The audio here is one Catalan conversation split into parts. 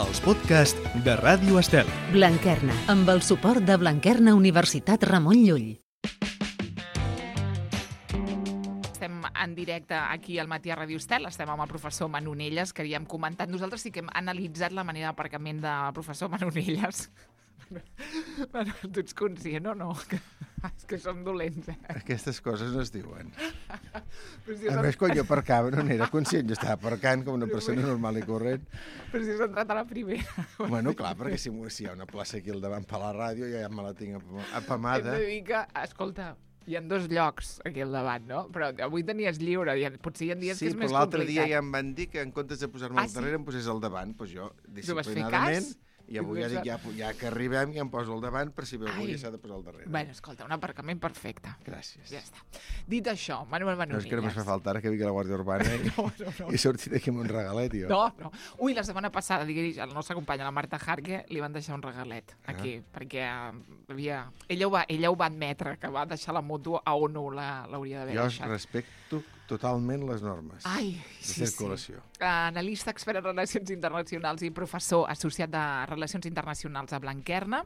els podcasts de Ràdio Estel. Blanquerna, amb el suport de Blanquerna Universitat Ramon Llull. Estem en directe aquí al Matí a Ràdio Estel, estem amb el professor Manonelles, que ja hem comentat. Nosaltres sí que hem analitzat la manera d'aparcament del professor Manonelles. Bueno, tu ets conscient o no? És que som dolents, eh? Aquestes coses no es diuen. Si a més, quan jo aparcava no n'era conscient, jo estava aparcant com una persona normal i corrent. Però si has entrat a la primera. Bueno, clar, perquè si hi ha una plaça aquí al davant per la ràdio, ja me la tinc apamada. Hem de dir que, escolta, hi ha 2 llocs aquí al davant, no? Però avui tenies lliure, potser hi ha dies que és més complicat. Sí, però l'altre dia ja em van dir que en comptes de posar-me al darrere em posés al davant, doncs jo, disciplinadament... I avui ja dic, ja que arribem, ja em poso al davant per si algú ja s'ha de posar al darrere. Bueno, escolta, un aparcament perfecte. Gràcies. Ja està. Dit això, Manuel Manonelles. No, és que només fa falta ara que vingui la Guàrdia Urbana i surti d'aquí amb un regalet, jo. No. Ui, la setmana passada, diguis, el nostre company, la Marta Harke, li van deixar un regalet aquí, perquè ella ho va admetre, que va deixar la moto a on no l'hauria d'haver deixat. Jo respecto totalment les normes de circulació. Analista, expert en relacions internacionals i professor associat de Relacions Internacionals a Blanquerna.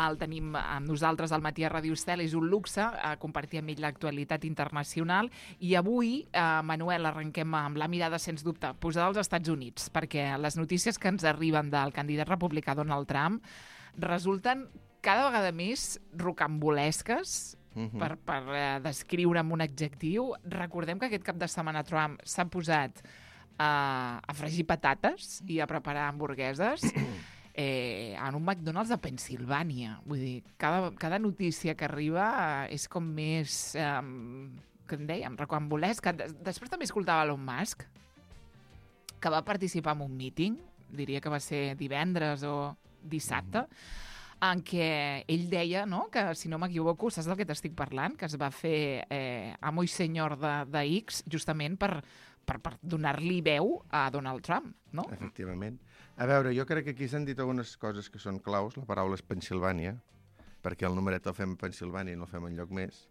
El tenim amb nosaltres al Matí a Ràdio Estel. És un luxe compartir amb ell l'actualitat internacional. I avui, Manuel, arrenquem amb la mirada, sens dubte, posada als Estats Units, perquè les notícies que ens arriben del candidat republicà Donald Trump resulten cada vegada més rocambolesques, per descriure amb un adjectiu. Recordem que aquest cap de setmana Trump s'ha posat a fregir patates i a preparar hamburgueses en un McDonald's de Pennsilvània. Vull dir, cada notícia que arriba és com més, que en dèiem, rocambolesca. Després també escoltava Elon Musk, que va participar en un míting, diria que va ser divendres o dissabte, en què ell deia, no?, que, si no m'equivoco, saps del que t'estic parlant? Que es va fer amo i senyor de X justament per donar-li veu a Donald Trump, no? Efectivament. A veure, jo crec que aquí s'han dit algunes coses que són claus. La paraula és Pennsilvània, perquè el numeret el fem a Pennsilvània i no el fem enlloc més.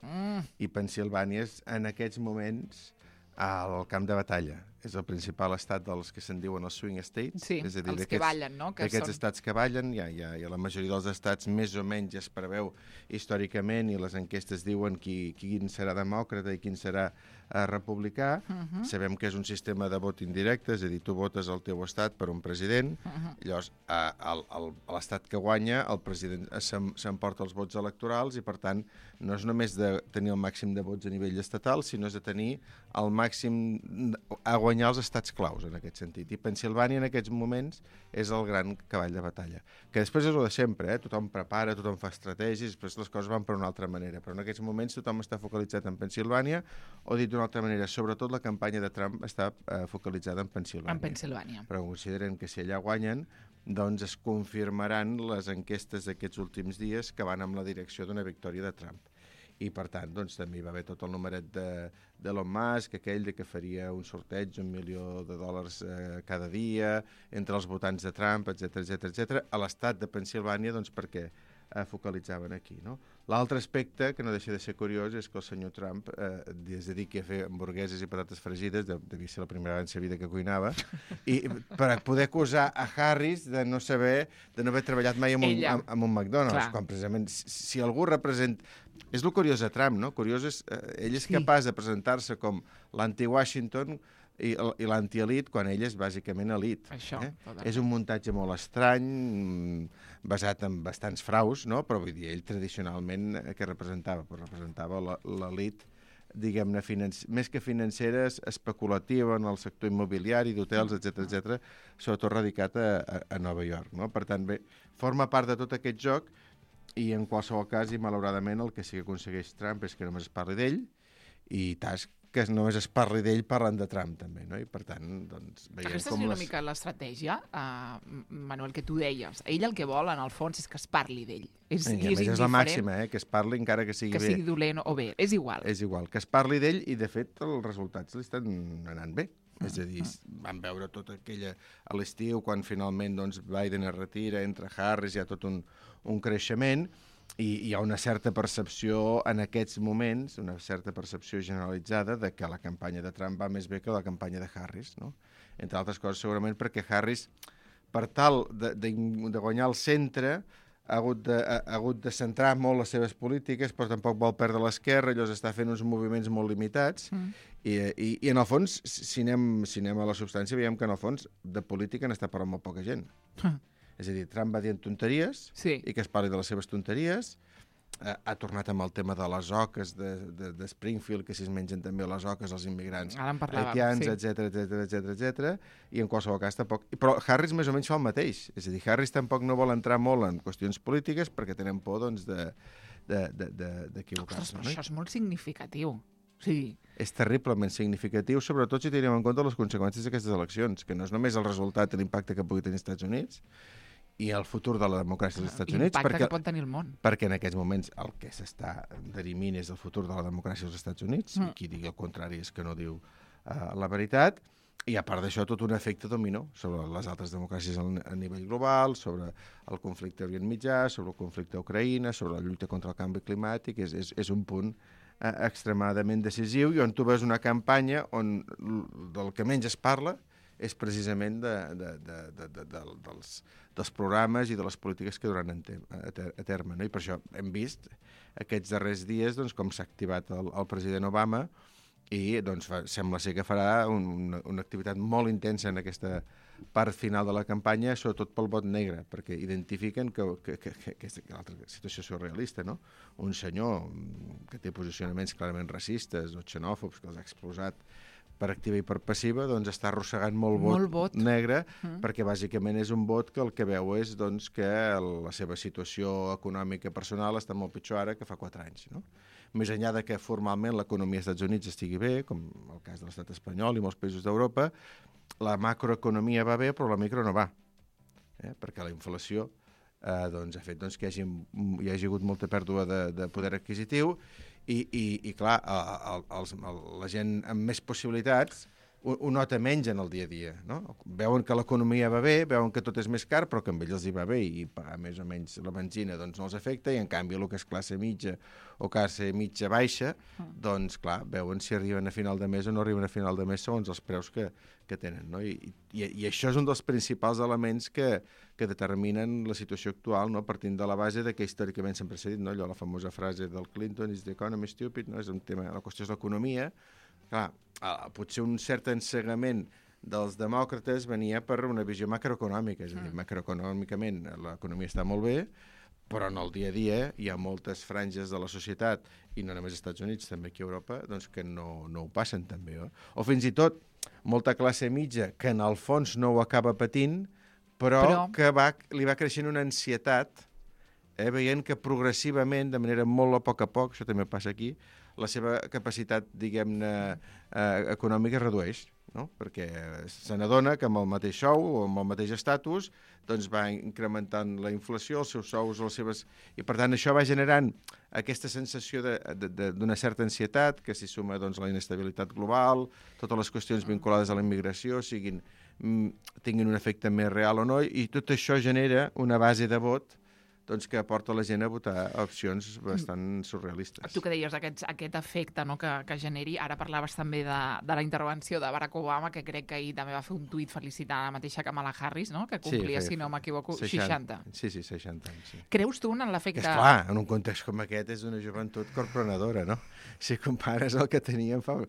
I Pennsilvània és, en aquests moments, al camp de batalla. És el principal estat dels que se'n diuen els swing states. Sí, és a dir, els que ballen, no? Aquests estats que ballen, ja la majoria dels estats més o menys es preveu històricament i les enquestes diuen quin serà demòcrata i quin serà republicà. Sabem que és un sistema de vot indirecte, és a dir, tu votes al teu estat per un president, llavors a l'estat que guanya el president s'emporta els vots electorals i per tant no és només de tenir el màxim de vots a nivell estatal, sinó és de tenir el màxim a guanyar els estats claus en aquest sentit. I Pennsilvània en aquests moments és el gran cavall de batalla. Que després és el de sempre, tothom prepara, tothom fa estratègies, després les coses van per una altra manera, però en aquests moments tothom està focalitzat en Pennsilvània, o dit d'una altra manera, sobretot la campanya de Trump està focalitzada en Pennsilvània. En Pennsilvània. Però consideren que si allà guanyen, doncs es confirmaran les enquestes d'aquests últims dies que van amb la direcció d'una victòria de Trump. I, per tant, doncs, també hi va haver tot el numeret d'Elon Musk, aquell de que faria un sorteig $1 milió cada dia entre els votants de Trump, etc. A l'estat de Pennsilvània, doncs, perquè focalitzaven aquí, no? L'altre aspecte, que no deixa de ser curiós, és que el senyor Trump es dediqui a fer hamburgueses i patates fregides, devia ser la primera vegada en sa vida que cuinava, i per poder acusar a Harris de no haver treballat mai en un McDonald's, quan precisament si algú representa... És el curiós de Trump, no? Curiós és, ell és capaç de presentar-se com l'anti-Washington i l'anti-elit quan ell és bàsicament elit. És un muntatge molt estrany, basat en bastants fraus, no? Però vull dir, ell tradicionalment què representava? Pues representava l'elit, diguem-ne, més que financeres, especulativa en el sector immobiliari, d'hotels, etc., sobretot radicat a Nova York, no? Per tant, bé, forma part de tot aquest joc. I en qualsevol cas, i malauradament, el que sí que aconsegueix Trump és que només es parli d'ell i que només es parli d'ell parlant de Trump, també, no? I per tant, doncs, veiem com... Aquesta és una mica l'estratègia, Manuel, que tu deies. Ell el que vol, en el fons, és que es parli d'ell. És la màxima, que es parli encara que sigui bé. Que sigui dolent o bé, és igual. És igual, que es parli d'ell i, de fet, els resultats li estan anant bé. És a dir, vam veure tota aquella a l'estiu, quan finalment doncs, Biden es retira, entra Harris, hi ha tot un creixement, i hi ha una certa percepció en aquests moments, una certa percepció generalitzada de que la campanya de Trump va més bé que la campanya de Harris, no? Entre altres coses, segurament perquè Harris per tal de guanyar el centre, ha hagut de centrar molt les seves polítiques, però tampoc vol perdre l'esquerra, llavors està fent uns moviments molt limitats, i en el fons, si anem a la substància, veiem que en el fons de política n'està parlant molt poca gent. És a dir, Trump va dient tonteries, i que es parli de les seves tonteries, ha tornat amb el tema de les oques de Springfield, que si es mengen també les oques els immigrants haitians, etc. I en qualsevol cas tampoc... Però Harris més o menys fa el mateix. És a dir, Harris tampoc no vol entrar molt en qüestions polítiques perquè tenen por, doncs, d'equivocar-se. Ostres, però això és molt significatiu. Sí. És terriblement significatiu, sobretot si tenim en compte les conseqüències d'aquestes eleccions, que no és només el resultat i l'impacte que pugui tenir els Estats Units, i el futur de la democràcia dels Estats Units. L'impacte que pot tenir el món. Perquè en aquests moments el que s'està dirimint és el futur de la democràcia dels Estats Units, i qui digui el contrari és que no diu la veritat, i a part d'això tot un efecte dominó sobre les altres democràcies a nivell global, sobre el conflicte a Orient Mitjà, sobre el conflicte a Ucraïna, sobre la lluita contra el canvi climàtic. És un punt extremadament decisiu, i on tu veus una campanya on del que menys es parla és precisament dels programes i de les polítiques que duran a terme. No? I per això hem vist aquests darrers dies doncs, com s'ha activat el president Obama, i doncs, sembla ser que farà una activitat molt intensa en aquesta part final de la campanya, sobretot pel vot negre, perquè identifiquen que és l'altra situació surrealista, no? Un senyor que té posicionaments clarament racistes o xenòfobs, que els ha exposat per activa i per passiva, doncs està arrossegant molt vot negre, perquè bàsicament és un vot que el que veu és doncs, que la seva situació econòmica personal està molt pitjor ara que fa 4 anys. No? Més enllà de que formalment l'economia dels Estats Units estigui bé, com el cas de l'estat espanyol i molts països d'Europa, la macroeconomia va bé, però la micro no va, perquè la inflació doncs, ha fet que hi hagi hagut molta pèrdua de poder adquisitiu, i clar, la gent amb més possibilitats ho nota menys en el dia a dia. No? Veuen que l'economia va bé, veuen que tot és més car, però que a ells els hi va bé, i pagar més o menys la benzina doncs, no els afecta, i en canvi el que és classe mitja o classe mitja baixa, doncs clar, veuen si arriben a final de mes o no arriben a final de mes segons els preus que tenen. No? I això és un dels principals elements que determinen la situació actual, no? Partint de la base que històricament sempre s'ha dit, no? Allò, la famosa frase del Clinton, is the economy stupid, no? És un tema, la qüestió és l'economia. Clar, potser un cert ensegament dels demòcrates venia per una visió macroeconòmica, és a dir, macroeconòmicament l'economia està molt bé, però en el dia a dia hi ha moltes franges de la societat, i no només als Estats Units, també aquí a Europa, doncs que no ho passen tan bé. O fins i tot molta classe mitja que en el fons no ho acaba patint, però que li va creixent una ansietat, veient que progressivament, de manera molt a poc, això també passa aquí, la seva capacitat, diguem-ne, econòmica es redueix, no? Perquè se n'adona que amb el mateix sou o amb el mateix estatus doncs va incrementant la inflació, els seus sous, les seves... I per tant això va generant aquesta sensació d'una certa ansietat que s'hi suma doncs, la inestabilitat global, totes les qüestions vinculades a la immigració tinguin un efecte més real o no, i tot això genera una base de vot doncs, que aporta la gent a votar opcions bastant surrealistes. Tu que deies aquest efecte, no, que generi, ara parlaves també de la intervenció de Barack Obama, que crec que ahir també va fer un tuit felicitant la mateixa Kamala Harris, no? Que complia, si no m'equivoco, 60. Sí, 60 anys. Sí. Creus tu en l'efecte... Esclar, en un context com aquest és una joventut corprenedora, no? Si compares el que teníem fa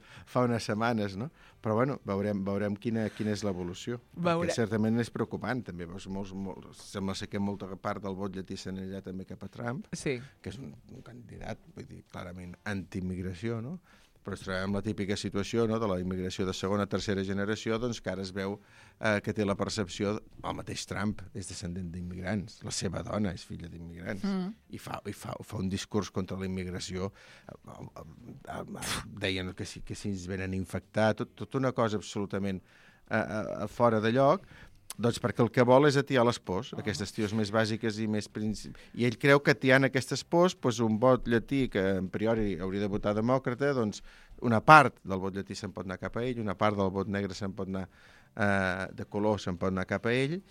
unes setmanes, no? Però bueno, veurem quina és l'evolució. Perquè certament és preocupant, també. Sembla ser que molta part del vot llatí s'anirà també cap a Trump, que és un candidat, vull dir, clarament anti-immigració, no? Però es trobem la típica situació, no?, de la immigració de segona o tercera generació, doncs que ara es veu que té la percepció, el mateix Trump és descendent d'immigrants, la seva dona és filla d'immigrants, i fa un discurs contra la immigració, deien que si ens venen a infectar, tot una cosa absolutament fora de lloc, doncs perquè el que vol és atiar les pors, aquestes tios més bàsiques i més... I ell creu que atiant aquestes pors, doncs un vot llatí que en priori hauria de votar demòcrata, doncs una part del vot llatí se'n pot anar cap a ell, una part del vot negre se'n pot anar de color se'n pot anar cap a ell,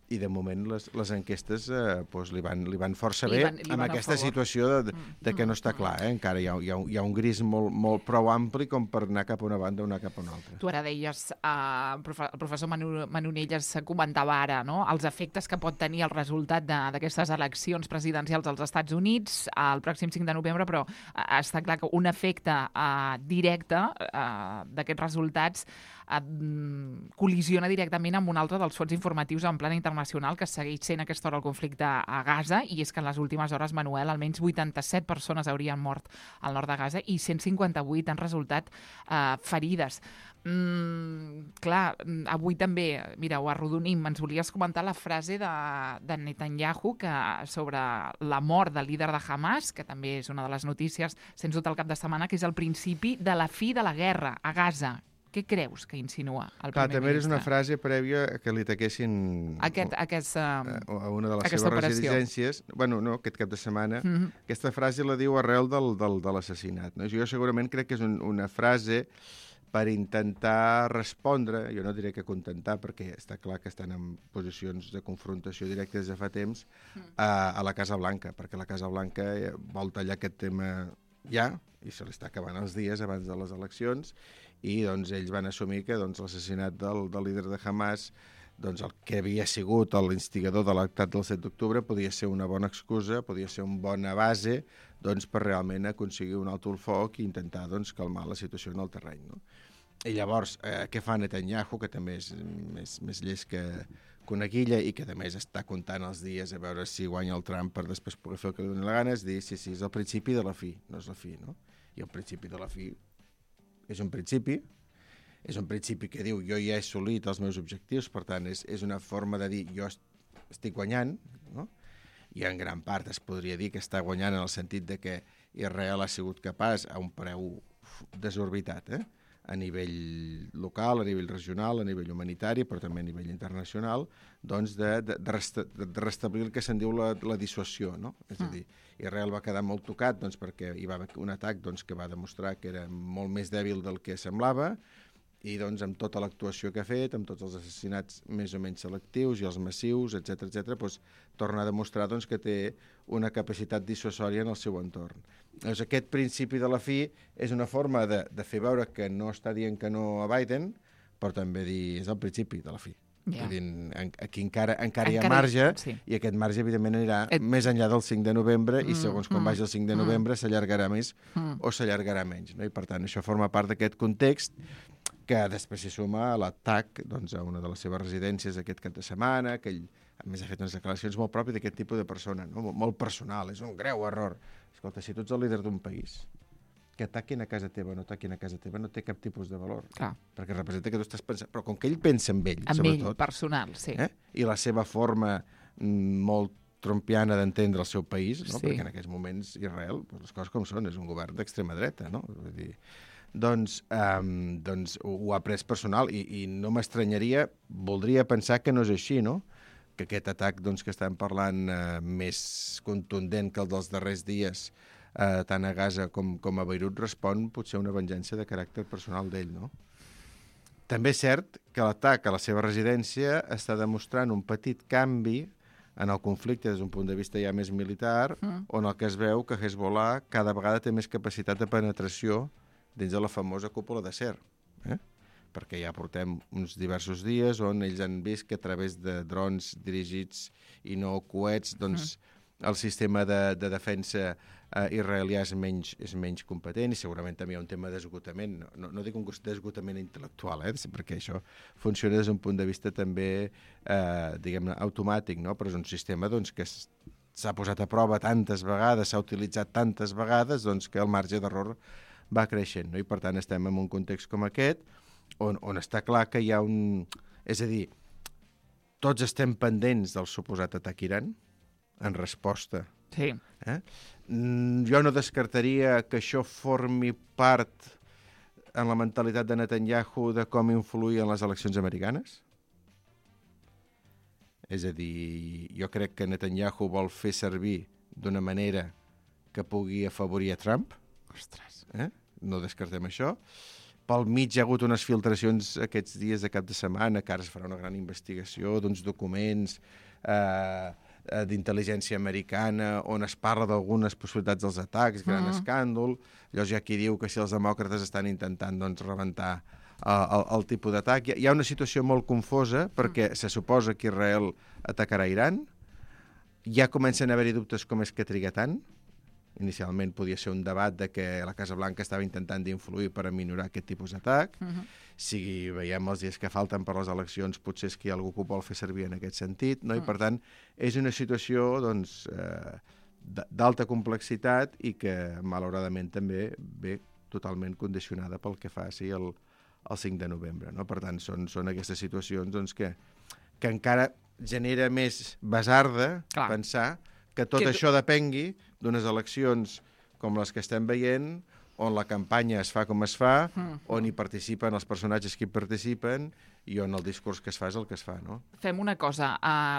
i de moment les enquestes doncs li van força bé li van amb aquesta situació de que no està clar. Encara hi ha un gris molt prou ampli com per anar cap a una banda o anar cap a una altra. Tu ara deies, el professor Manonelles comentava ara, no?, els efectes que pot tenir el resultat d'aquestes eleccions presidencials als Estats Units el pròxim 5 de novembre, però està clar que un efecte directe d'aquests resultats col·lisiona directament amb un altre dels fons informatius en plan internacional que segueix sent a aquesta hora el conflicte a Gaza, i és que en les últimes hores, Manuel, almenys 87 persones haurien mort al nord de Gaza i 158 han resultat ferides. Clar, avui també, mira, ho arrodonim, ens volies comentar la frase de Netanyahu sobre la mort del líder de Hamas, que també és una de les notícies, sens dubte, el cap de setmana, que és el principi de la fi de la guerra a Gaza. Què creus que insinua el primer ministre? També és una frase prèvia que li taquessin a una de les seves residències. Bueno, no, aquest cap de setmana. Aquesta frase la diu arrel de l'assassinat. No? Jo segurament crec que és una frase per intentar respondre, jo no diré que contentar, perquè està clar que estan en posicions de confrontació directa des de fa temps, a la Casa Blanca, perquè la Casa Blanca vol tallar aquest tema ja, i se li està acabant els dies abans de les eleccions, i doncs ells van assumir que l'assassinat del líder de Hamas, doncs el que havia sigut l'instigador de l'actat del 7 d'octubre, podia ser una bona excusa, podia ser una bona base doncs, per realment aconseguir un alto el foc i intentar doncs, calmar la situació en el terreny. No? I llavors, què fa Netanyahu, que també és més llest que una guilla i que a més està comptant els dies a veure si guanya el Trump per després poder fer el que li doni la gana, és dir, sí, és el principi de la fi, no és la fi, no? I el principi de la fi és un principi que diu jo ja he assolit els meus objectius, per tant és una forma de dir jo estic guanyant, no? I en gran part es podria dir que està guanyant en el sentit de que Israel ha sigut capaç a un preu desorbitat, a nivell local, a nivell regional, a nivell humanitari, però també a nivell internacional, doncs de restablir el que se'n diu la dissuasió, no? És a dir, Israel va quedar molt tocat doncs, perquè hi va haver un atac doncs, que va demostrar que era molt més dèbil del que semblava, i doncs, amb tota l'actuació que ha fet, amb tots els assassinats més o menys selectius i els massius, etc doncs, torna a demostrar doncs, que té una capacitat dissuasòria en el seu entorn. Doncs aquest principi de la fi és una forma de fer veure que no està dient que no a Biden, però també dir és el principi de la fi. Yeah. Aquí encara hi ha marge, sí. I aquest marge evidentment anirà més enllà del 5 de novembre i segons com vagi el 5 de novembre s'allargarà més o s'allargarà menys, no? I per tant això forma part d'aquest context que després s'hi suma a l'atac doncs, a una de les seves residències aquest cap de setmana, que ell a més ha fet unes declaracions molt pròpies d'aquest tipus de persona, no? Molt personal, és un greu error. Escolta, si tu ets el líder d'un país, que ataquin a casa teva o no ataquin a casa teva no té cap tipus de valor. Clar. Perquè representa que tu estàs pensant... Però com que ell pensa en ell, sobretot... En ell, personal, sí. I la seva forma molt trumpiana d'entendre el seu país, no? Sí. Perquè en aquests moments Israel, doncs les coses com són, és un govern d'extrema dreta, no? Vull dir, doncs ho ha pres personal i no m'estranyaria, voldria pensar que no és així, no? Que aquest atac doncs, que estem parlant més contundent que el dels darrers dies tant a Gaza com a Beirut respon potser a una venjança de caràcter personal d'ell, no? També és cert que l'atac a la seva residència està demostrant un petit canvi en el conflicte des d'un punt de vista ja més militar, on el que es veu que Hezbollah cada vegada té més capacitat de penetració dins de la famosa cúpula d'acer, perquè ja portem uns diversos dies on ells han vist que a través de drons dirigits i no coets, doncs el sistema de defensa israelià és menys competent i segurament també hi ha un tema d'esgotament. No dic un d'esgotament intel·lectual, perquè això funciona des d'un punt de vista també, diguem-ne, automàtic, no? Però és un sistema doncs, que s'ha posat a prova tantes vegades, s'ha utilitzat tantes vegades, doncs, que el marge d'error va creixent, no? I per tant estem en un context com aquest, on està clar que hi ha un... És a dir, tots estem pendents del suposat atac Iran, en resposta. Sí. Jo no descartaria que això formi part en la mentalitat de Netanyahu de com influir en les eleccions americanes. És a dir, jo crec que Netanyahu vol fer servir d'una manera que pugui afavorir a Trump. Ostres. No descartem això. pel mig hi ha hagut unes filtracions aquests dies de cap de setmana, que ara es farà una gran investigació d'uns documents d'intel·ligència americana on es parla d'algunes possibilitats dels atacs, gran escàndol. Llavors hi ha qui diu que si els demòcrates estan intentant doncs, rebentar el tipus d'atac. Hi ha una situació molt confosa perquè se suposa que Israel atacarà Iran. Ja comencen a haver-hi dubtes com és que triga tant. Inicialment podia ser un debat de que la Casa Blanca estava intentant d'influir per aminorar aquest tipus d'atac. Si veiem els dies que falten per les eleccions, potser és que hi ha algú que ho vol fer servir en aquest sentit, no? I per tant és una situació doncs, d'alta complexitat i que malauradament també ve totalment condicionada pel que faci el 5 de novembre. No? Per tant, són aquestes situacions doncs, que encara genera més basarda pensar que tot això depengui d'unes eleccions com les que estem veient, on la campanya es fa com es fa, on hi participen els personatges que hi participen i on el discurs que es fa és el que es fa, no? Fem una cosa,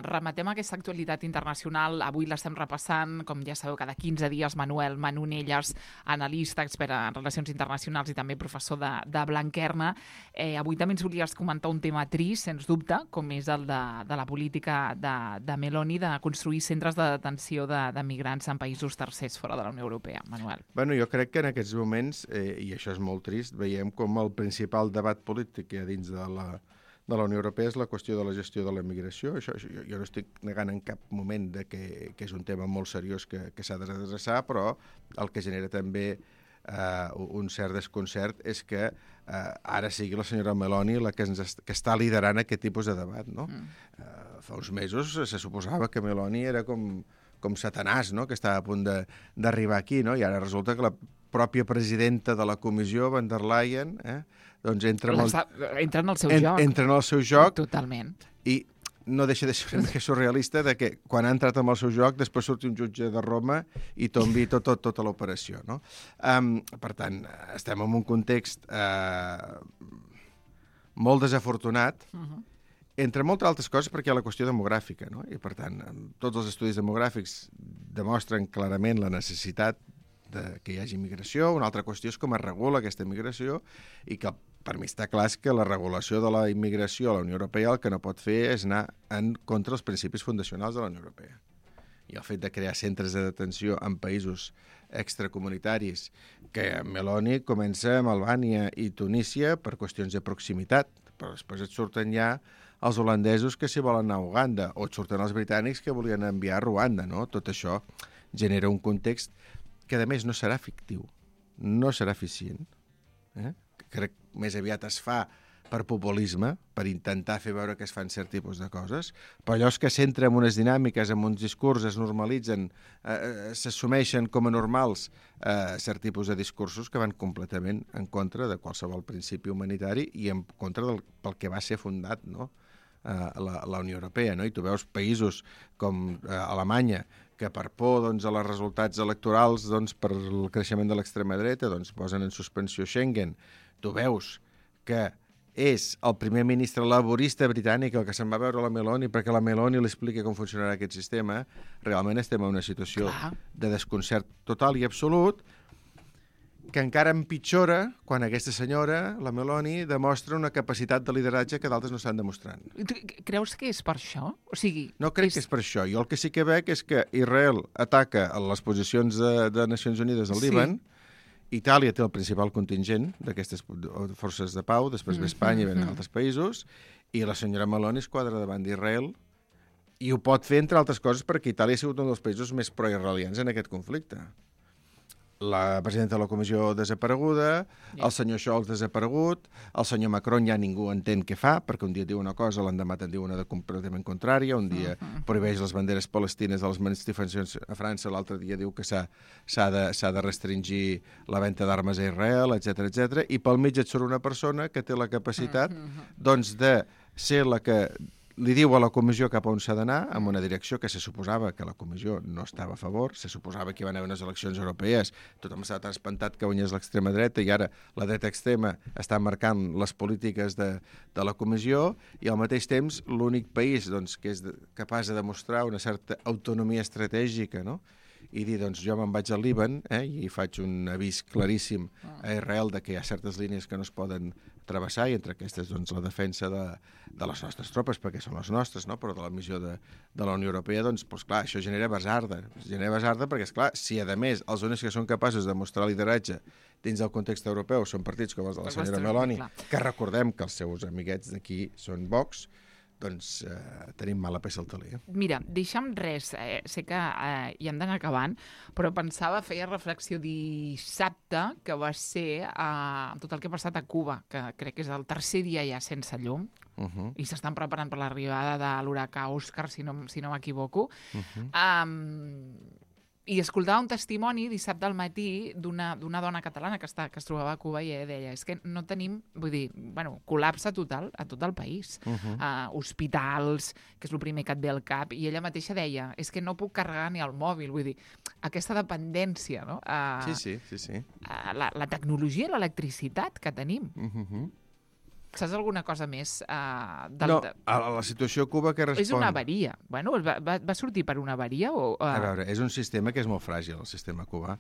rematem aquesta actualitat internacional, avui l'estem repassant, com ja sabeu, cada 15 dies, Manuel Manonelles, analista, expert en relacions internacionals i també professor de Blanquerna. Avui també ens volies comentar un tema trist, sens dubte, com és el de la política de Meloni de construir centres de detenció de migrants en països tercers fora de la Unió Europea. Manuel. Bueno, jo crec que en aquests moments, i això és molt trist, veiem com el principal debat polític que hi ha dins de la Unió Europea és la qüestió de la gestió de la migració. Això, jo no estic negant en cap moment que és un tema molt seriós que s'ha de redreçar, però el que genera també un cert desconcert és que ara sigui la senyora Meloni la que està liderant aquest tipus de debat. No? Fa uns mesos se suposava que Meloni era com Satanàs, no? Que estava a punt d'arribar aquí, no? I ara resulta que la pròpia presidenta de la comissió, van der Leyen, doncs entra en el seu joc. Entra en el seu joc. Totalment. I no deixa de ser una mica surrealista de que quan ha entrat en el seu joc després surti un jutge de Roma i tombi tota l'operació, no? Per tant, estem en un context molt desafortunat, entre moltes altres coses perquè hi ha la qüestió demogràfica, no? I per tant, tots els estudis demogràfics demostren clarament la necessitat que hi hagi migració. Una altra qüestió és com es regula aquesta migració i que per mi està clar que la regulació de la immigració a la Unió Europea el que no pot fer és anar en contra dels principis fundacionals de la Unió Europea. I el fet de crear centres de detenció en països extracomunitaris, que Meloni comença amb Albània i Tunísia per qüestions de proximitat, però després et surten ja els holandesos que s'hi volen anar a Uganda, o et surten els britànics que volien enviar a Ruanda, no? Tot això genera un context que, a més, no serà fictiu, no serà eficient. Crec que més aviat es fa per populisme, per intentar fer veure que es fan cert tipus de coses, però allò que s'entra en unes dinàmiques, en uns discursos, es normalitzen, s'assumeixen com a normals cert tipus de discursos que van completament en contra de qualsevol principi humanitari i en contra pel que va ser fundat, no? La Unió Europea, no? I tu veus països com Alemanya, que per por doncs, a els resultats electorals, doncs, per el creixement de l'extrema dreta, doncs, posen en suspensió Schengen. Tu veus que és el primer ministre laborista britànic el que se'n va veure la Meloni perquè la Meloni li explica com funcionarà aquest sistema. Realment estem en una situació de desconcert total i absolut, que encara empitjora quan aquesta senyora, la Meloni, demostra una capacitat de lideratge que d'altres no estan demostrant. Creus que és per això? O sigui, no crec que és per això. Jo el que sí que veig és que Israel ataca a les posicions de Nacions Unides al Líban, Itàlia té el principal contingent d'aquestes forces de pau, després ve Espanya i venen altres països, i la senyora Meloni es quadra davant d'Israel i ho pot fer, entre altres coses, perquè Itàlia ha sigut un dels països més proisraelians en aquest conflicte. La presidenta de la comissió desapareguda, el senyor Scholz desaparegut, el senyor Macron ja ningú entén què fa, perquè un dia diu una cosa, l'endemà te'n diu una de completament contrària, un dia prohibeix les banderes palestines de les manifestacions a França, l'altre dia diu que s'ha de restringir la venda d'armes a Israel, etc. I pel mig et surt una persona que té la capacitat doncs, de ser la que li diu a la comissió cap a on s'ha d'anar, amb una direcció que se suposava que la comissió no estava a favor, se suposava que hi van haver unes eleccions europees, tothom estava tan espantat que guanyés l'extrema dreta i ara la dreta extrema està marcant les polítiques de la comissió i al mateix temps l'únic país doncs, que és capaç de demostrar una certa autonomia estratègica, no? i dir, doncs jo me'n vaig al Líban i faig un avís claríssim a Israel de que hi ha certes línies que no es poden travessar, i entre aquestes doncs, la defensa de les nostres tropes, perquè són les nostres, no? Però de la missió de la Unió Europea, doncs clar, això genera basarda. Genera basarda perquè, esclar, si a més els únics que són capaços de mostrar lideratge dins del context europeu són partits com els de la senyora Meloni, que recordem que els seus amiguets d'aquí són Vox, doncs tenim mala peça al taler. Mira, deixa'm res, sé que hi hem d'anar acabant, però pensava, feia reflexió dissabte, que va ser tot el que ha passat a Cuba, que crec que és el tercer dia ja sense llum, i s'estan preparant per l'arribada de l'huracà Òscar, si no m'equivoco. I escoltava un testimoni dissabte al matí d'una dona catalana que es trobava a Cuba, i ella deia, és que no tenim, vull dir, col·lapse total a tot el país. Hospitals, que és el primer que et ve al cap, i ella mateixa deia, és que no puc carregar ni el mòbil, vull dir, aquesta dependència, no? Sí. La tecnologia i l'electricitat que tenim. Saps alguna cosa més? No, a la situació a Cuba que respon... És una avaria. Bueno, va sortir per una avaria? A veure, és un sistema que és molt fràgil, el sistema cubà,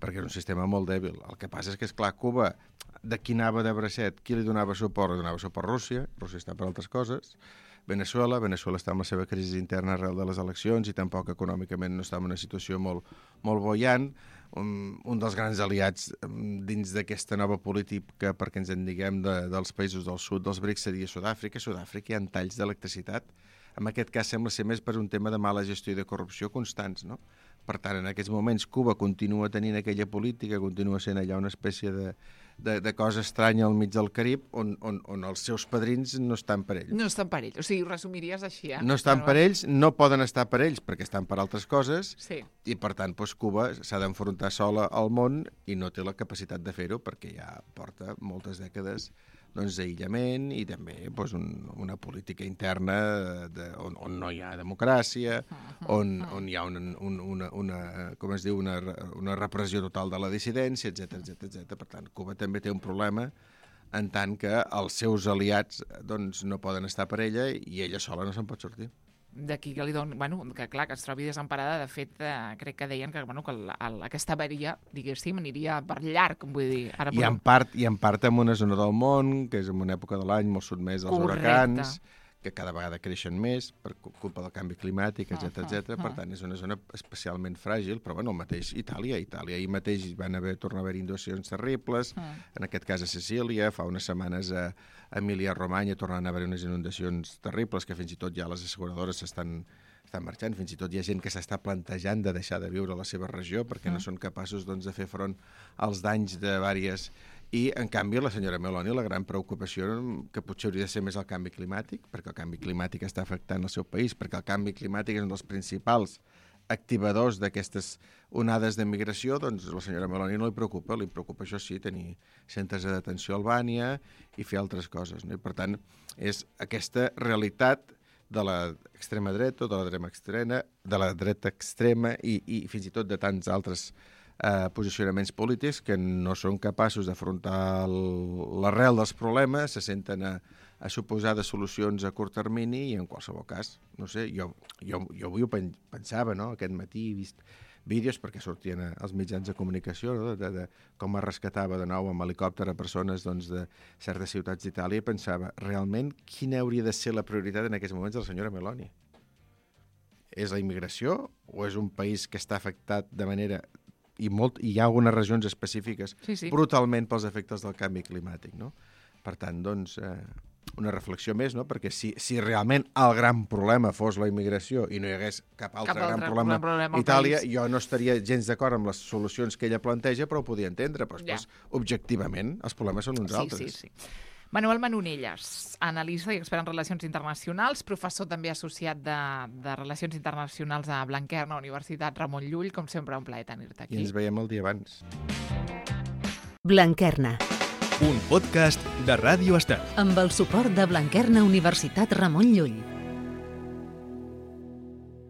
perquè és un sistema molt dèbil. El que passa és que, esclar, Cuba, de qui anava de bracet, qui li donava suport? Li donava suport Rússia està per altres coses. Veneçuela està amb la seva crisi interna arrel de les eleccions i tampoc econòmicament no està en una situació molt boiant. Un dels grans aliats dins d'aquesta nova política, perquè ens en diguem, dels països del sud, dels BRICS, seria Sud-àfrica. A Sud-àfrica hi ha talls d'electricitat. En aquest cas sembla ser més per un tema de mala gestió i de corrupció constants, no? Per tant, en aquests moments Cuba continua tenint aquella política, continua sent allà una espècie de cosa estranya al mig del Carib, on els seus padrins no estan per ells. No estan per ells, o sigui, ho resumiries així, No estan per ells, no poden estar per ells perquè estan per altres coses, i per tant Cuba s'ha d'enfrontar sola al món i no té la capacitat de fer-ho perquè ja porta moltes dècades d'aïllament i també una política interna on no hi ha democràcia, on hi ha una repressió total de la dissidència, etc. Per tant, Cuba també té un problema en tant que els seus aliats no poden estar per ella i ella sola no se'n pot sortir. D'aquí que li donen, que clar, que es trobi desemparada. De fet, crec que deien que aquesta avaria, diguéssim, aniria per llarg, vull dir... I en part en una zona del món, que és en una època de l'any molt sotmès als huracans, que cada vegada creixen més per culpa del canvi climàtic, etc. Per tant, és una zona especialment fràgil, però el mateix Itàlia. Ahir mateix van tornar a haver inundacions terribles, en aquest cas a Sicília, fa unes setmanes a Emília-Romanya tornant a haver unes inundacions terribles, que fins i tot ja les asseguradores s'estan marxant, fins i tot hi ha gent que s'està plantejant de deixar de viure a la seva regió perquè no són capaços de fer front als danys de diverses... I, en canvi, la senyora Meloni, la gran preocupació que potser hauria de ser més el canvi climàtic, perquè el canvi climàtic està afectant el seu país, perquè el canvi climàtic és un dels principals activadors d'aquestes onades de migració, doncs la senyora Meloni no li preocupa, això sí, tenir centres de detenció a Albània i fer altres coses. I, per tant, és aquesta realitat de l'extrema dreta, de la dreta extrema i fins i tot de tants altres posicionaments polítics que no són capaços d'afrontar l'arrel dels problemes, se senten a suposar de solucions a curt termini i en qualsevol cas, no sé, jo avui ho pensava, no? Aquest matí he vist vídeos perquè sortien als mitjans de comunicació, no? de com es rescatava de nou amb helicòpter a persones de certes ciutats d'Itàlia, i pensava, realment, quina hauria de ser la prioritat en aquests moments de la senyora Meloni? És la immigració o és un país que està afectat de manera... i hi ha algunes regions específiques brutalment pels efectes del canvi climàtic, no? Per tant, doncs, una reflexió més, no? Perquè si realment el gran problema fos la immigració i no hi hagués cap altre gran problema a Itàlia, jo no estaria gens d'acord amb les solucions que ella planteja, però ho podia entendre. Però després, objectivament, els problemes són uns altres. Sí. Manuel Manonelles, analista i expert en relacions internacionals, professor també associat de Relacions Internacionals a Blanquerna, Universitat Ramon Llull. Com sempre, un plaer tenir-te aquí. I ens veiem el dia abans. Blanquerna. Un podcast de Ràdio Estel. Amb el suport de Blanquerna, Universitat Ramon Llull.